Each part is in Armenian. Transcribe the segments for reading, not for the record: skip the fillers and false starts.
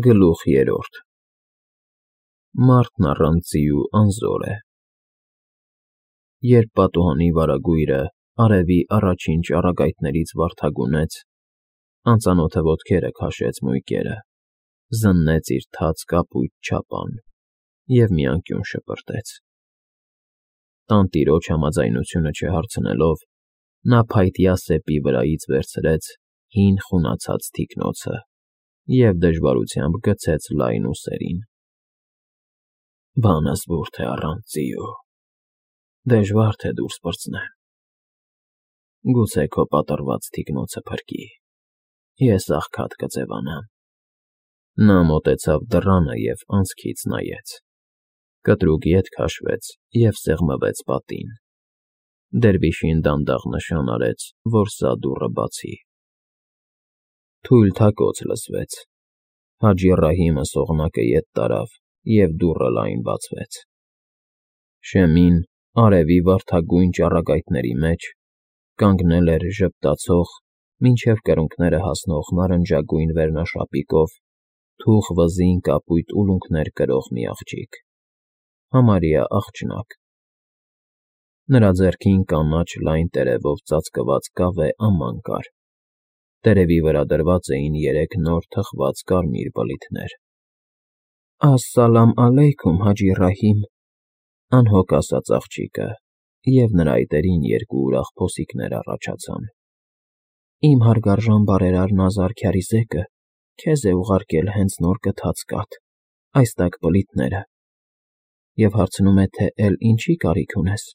Գլուխ 3 Մարդն առանց ձիու անզոր է։ Երբ պատուհանի վարագույրը արևի առաջին ճառագայթներից վարդագունեց, անծանոթը ոտքերը քաշեց մույկերը, զննեց իր թաց կապույտ չապան և մի անկյուն շպրտեց։ Տանտիրոջ համաձայնությունը չհարցնելով, նա փայտյա սեպի վրայից վերցրեց հին խունացած թիկնոցը և դժվարությամբ գցեց լայն ուսերին։ Բանը զվարթ է առանց ձիու, դժվար թե դուրս պրծնեմ, գուցե քո պատռված թիկնոցը փրկի, ես աղքատ կձևանամ։ Նա մոտեցավ դռանը և անցքից նայեց, կտրուկ ետ քաշվեց և սեղմվեց պատին։ Դերվիշին դանդաղ նշան արեց, որ սա դուռը բացի։ Թույլ թակոց լսվեց, Հաջի Ռահիմը սողնակը ետ տարավ, և դուռը լայն բացվեց։ Շեմին, արևի վարդագույն ճառագայթների մեջ, կանգնել էր ժպտացող, մինչև կրունկները հասնող նարնջագույն վերնաշապիկով, թուխ վզին կապույտ ուլունքներ կրող մի աղջիկ, համարյա աղջնակ։ Նրա ձեռքին կանաչ լայն տերևով ծածկված կավե աման կար, տերևի վրա դրված էին 3 նոր թխված կարմիր բլիթներ։ «Աս֊սալամ ալեյքում, Հաջի Ռահիմ», անհոգ ասաց աղջիկը, և նրա այտերին 2 ուրախ փոսիկներ առաջացան։ «Իմ հարգարժան բարերար Նազար Քյարիզեկը քեզ է ուղարկել հենց նոր գթած կաթ, այս տաք բլիթները, և հարցնում է, թե էլ ինչի կարիք ունես»։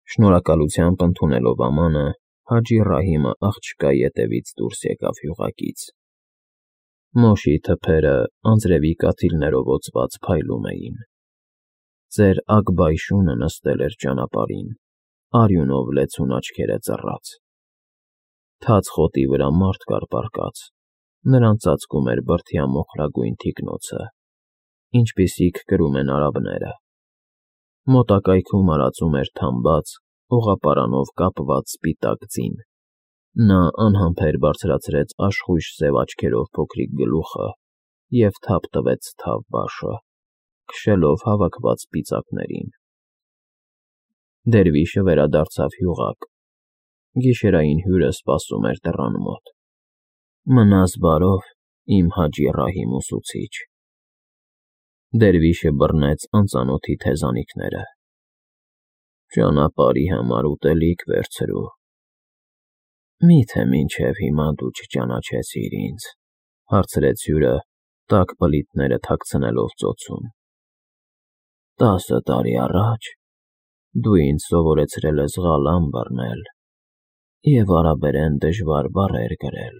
Շնորհակալությամբ ընդունելով ամանը, Հաջի Ռահիմը աղջկա ետևից դուրս եկավ յուղակից։ Մոշի թփերը անձրևի կաթիլներով օծված փայլում էին։ Ծեր Ագբայշունը նստել էր ճանապարհին, արյունով լեցուն աչքերը ծռած։ Թաց խոտի վրա մարդ կար պառկած, նրան ծածկում էր բրդյա մոխրագույն թիկնոցը, ինչպիսիք կրում են արաբները։ Մոտակայքում արածում էր թամբած, օղապարանով կապված սպիտակ ձին։ Նա անհամբեր բարձրացրեց աշխույժ սև աչքերով փոքրիկ գլուխը և թափ տվեց թավ բաշը, քշելով հավաքված սպիտակներին։ Դերվիշը վերադարձավ յուղակ։ Գիշերային հյուրը սպասում էր դռան մոտ։ «Մնաս բարով, իմ Հաջի Ռահիմ ուսուցիչ»։ Դերվիշը բռնեց անծանոթի թեզանիքները։ «Ճանապարհի համար ուտելիք վերցրու»։ «Մի՞թե մինչև հիմա դու չճանաչեցիր ինձ», հարցրեց հյուրը, տաք բլիթները թաքցնելով ծոցում։ «10 տարի առաջ դու ինձ սովորեցրել ես ղալամ բռնել և արաբերեն դժվար բառեր գրել։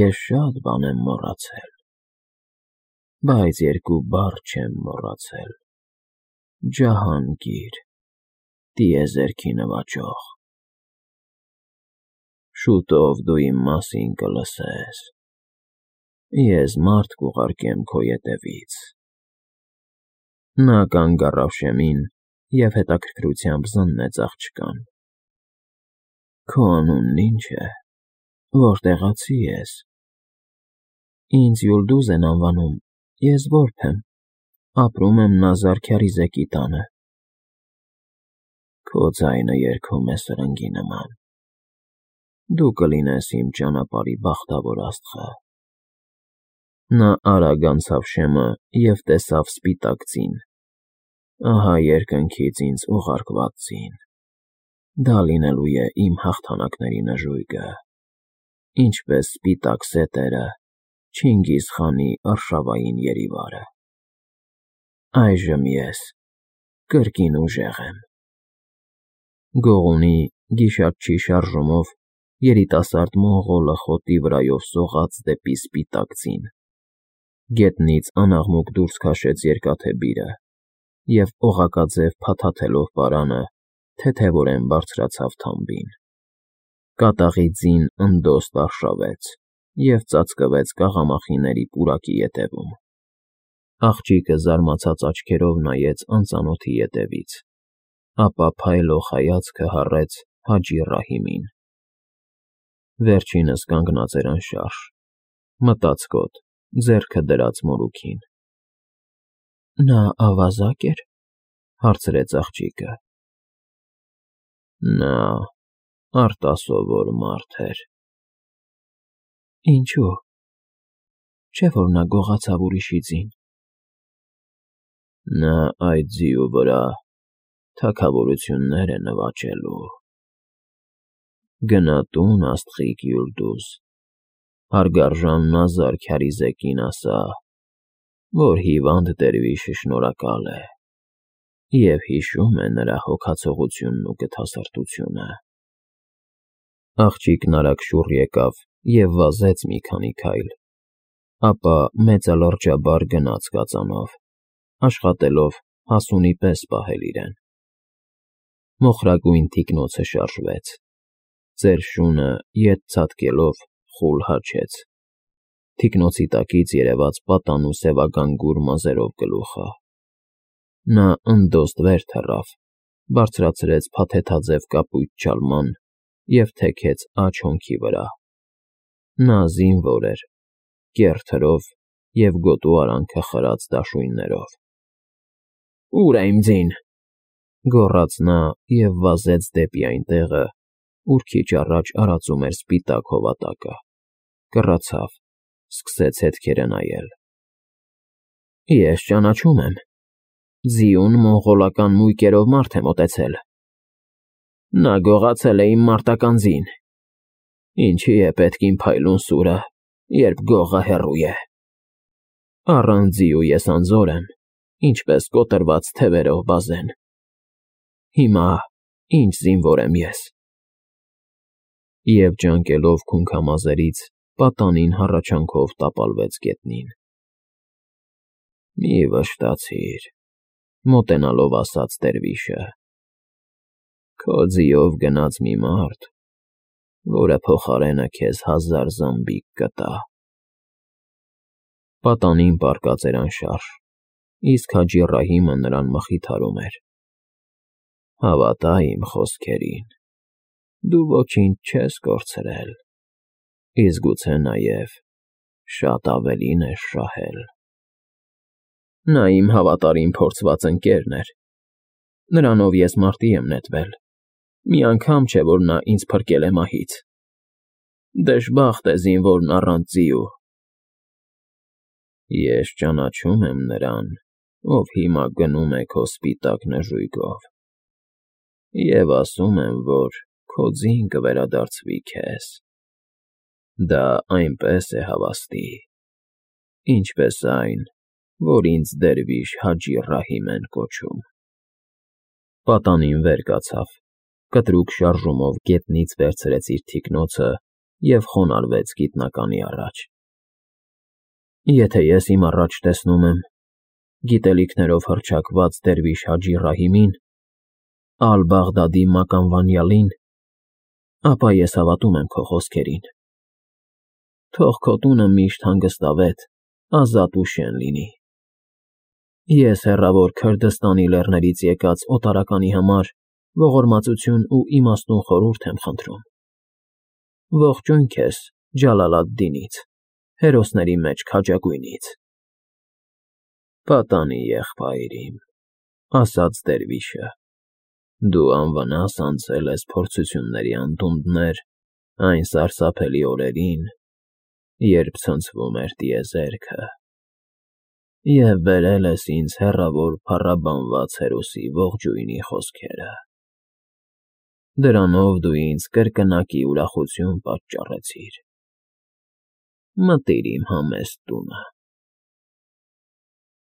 Ես շատ բան եմ մոռացել, բայց 2 բառ չեմ մոռացել. Ջահանգիր, տիեզերքի նվաճող։ Շուտով դու իմ մասին կլսես։ Ես մարդ կուղարկեմ քո ետևից»։ Նա կանգ առավ շեմին և հետաքրքրությամբ զննեց աղջկան։ «Քո անունն ի՞նչ է, որտեղացի ես»։ «Ինձ Յուլդուզ են անվանում, ես որբ եմ, ապրում եմ Նազար Քյարիզեկի տանը»։ «Քո ձայնը երգում է սրընգի նման, դու կլինես իմ ճանապարհի բախտավոր աստղը»։ Նա արագ անցավ շեմը և տեսավ սպիտակ ձին։ «Ահա երկնքից ինձ ուղարկված ձին, դա լինելու է իմ հաղթանակների նժույգը, ինչպես սպիտակ սետերը Չինգիզ խանի արշավային երիվարը։ Այժմ ես կրկին ուժեղ եմ»։ Գողունի, գիշատչի շարժումով երիտասարդ մոնղոլը խոտի վրայով սողաց դեպի սպիտակ ձին։ Գետնից անաղմուկ դուրս քաշեց երկաթե բիրը և, օղակաձև փաթաթելով պարանը, թեթևորեն բարձրացավ թամբին։ Կատաղի ձին ընդոստ արշավեց և ծածկվեց կաղամախիների պուրակի ետևում։ Աղջիկը զարմացած աչքերով նայեց անծանոթի ետևից, ապա փայլող հայացքը հառեց Հաջի Ռահիմին։ Վերջինս կանգնած էր անշարժ, Մտածկոտ, ձեռքը դրած մորուքին։ Նա ավազակ էր, հարցրեց աղջիկը։ Նա արտասովոր մարդ էր։ Ինչու՞։ Չէ՞ որ նա գողացավ ուրիշի ձին։ Նա այդ ձիու վրա թագավորություններ է նվաճելու։ Գնա տուն, աստղիկ Յուլդուզ, հարգարժան Նազար Քյարիզեկին ասա, որ հիվանդ դերվիշը շնորհակալ է և հիշում է նրա հոգացողությունն ու գթասրտությունը։ Աղջիկն արագ շուռ եկավ և վազեց մի քանի քայլ, ապա մեծալրջաբար գնաց կածանով, աշխատելով հասունի պես պահել իրեն։ Մոխրագույն թիկնոցը շարժվեց, ծեր շունը ետ ցատկելով խուլ հաչեց, թիկնոցի տակից երևաց պատանու սևական գուր մազերով գլուխը։ Նա ընդոստ վեր թռավ, բարձրացրեց փաթեթաձև կապույտ ջալման և թեքեց աջ հոնքի վրա։ Նա զինվոր էր, կեռ թրով և գոտու արանքը խրած դաշույններով։ Ո՞ւր է իմ ձին,֊ գոռաց նա և վազեց դեպի այն տեղը, ուր քիչ առաջ արածում էր սպիտակ հովատակը, կռացավ, սկսեց հետքերը նայել։ Ես ճանաչում եմ, ձիուն մոնղոլական մույկերով մարդ է մոտեցել։ Նա գողացել է իմ մարտական ձին։ Ինչի է պետք իմ փայլուն սուրը, երբ գողը հեռու է։ Առանց ձիու ես անզոր եմ, ինչպես կոտրված թևերով բազեն։ Հիմա ինչ զինվոր եմ ես։ Եվ ջանկելով քունքամազերից, պատանին հառաչանքով տապալվեց գետնին։ Մի վշտացիր,֊ մոտենալով ասաց դերվիշը։ Քո ձիով գնաց մի մարդ, որը փոխարենը քեզ 1000 զամբիկ կտա։ Պատանին պառկած էր անշարժ, իսկ Հաջի Ռահիմը նրան մխիթարում էր. Հավատա իմ խոսքերին, դու ոչինչ չես կորցրել, իսկ գուցե նաև շատ ավելին ես շահել։ Նա իմ հավատարիմ փորձված ընկերն էր, նրանով ես մարտի եմ նետվել, մի անգամ չէ, որ նա ինձ փրկել է մահից։ Դժբախտ է զինվորն առանց ձիու։ Ես ճանաչում եմ նրան, ով հիմա գնում է քո սպիտակ նժույգով, և ասում եմ, որ քո ձին կվերադարձվի քեզ։ Դա այնպես է հավաստի, ինչպես այն, որ ինձ դերվիշ Հաջի Ռահիմ են կոչում։ Պատանին վեր կացավ, կտրուկ շարժումով գետնից վերցրեց իր թիկնոցը և խոնարհվեց գիտնականի առաջ։ Եթե ես իմ առաջ տեսնում եմ գիտելիքներով հռչակված դերվիշ Հաջի Ռահիմին, Ալ֊Բաղդադի մականվանյալին, ապա ես հավատում եմ քո խոսքերին։ Թող քո տունը միշտ հանգստավետ, ազատ ու շեն լինի։ Ես հեռավոր Քրդստանի լեռներից եկած օտարականի համար ողորմածություն ու իմաստուն խորհուրդ եմ խնդրում։ Ողջույն քեզ Ջալալ ալ֊Դինից, հերոսների մեջ քաջագույնից։ Պատանի եղբայր իմ,֊ ասաց դերվիշը, դու անվնաս անցել ես փորձությունների անդունդներ այն սարսափելի օրերին, երբ ցնցվում էր տիեզերքը, և բերել ես ինձ հեռավոր փառաբանված հերոսի ողջույնի խոսքերը։ Դրանով դու ինձ կրկնակի ուրախություն պատճառեցիր։ Մտիր իմ համեստ տունը։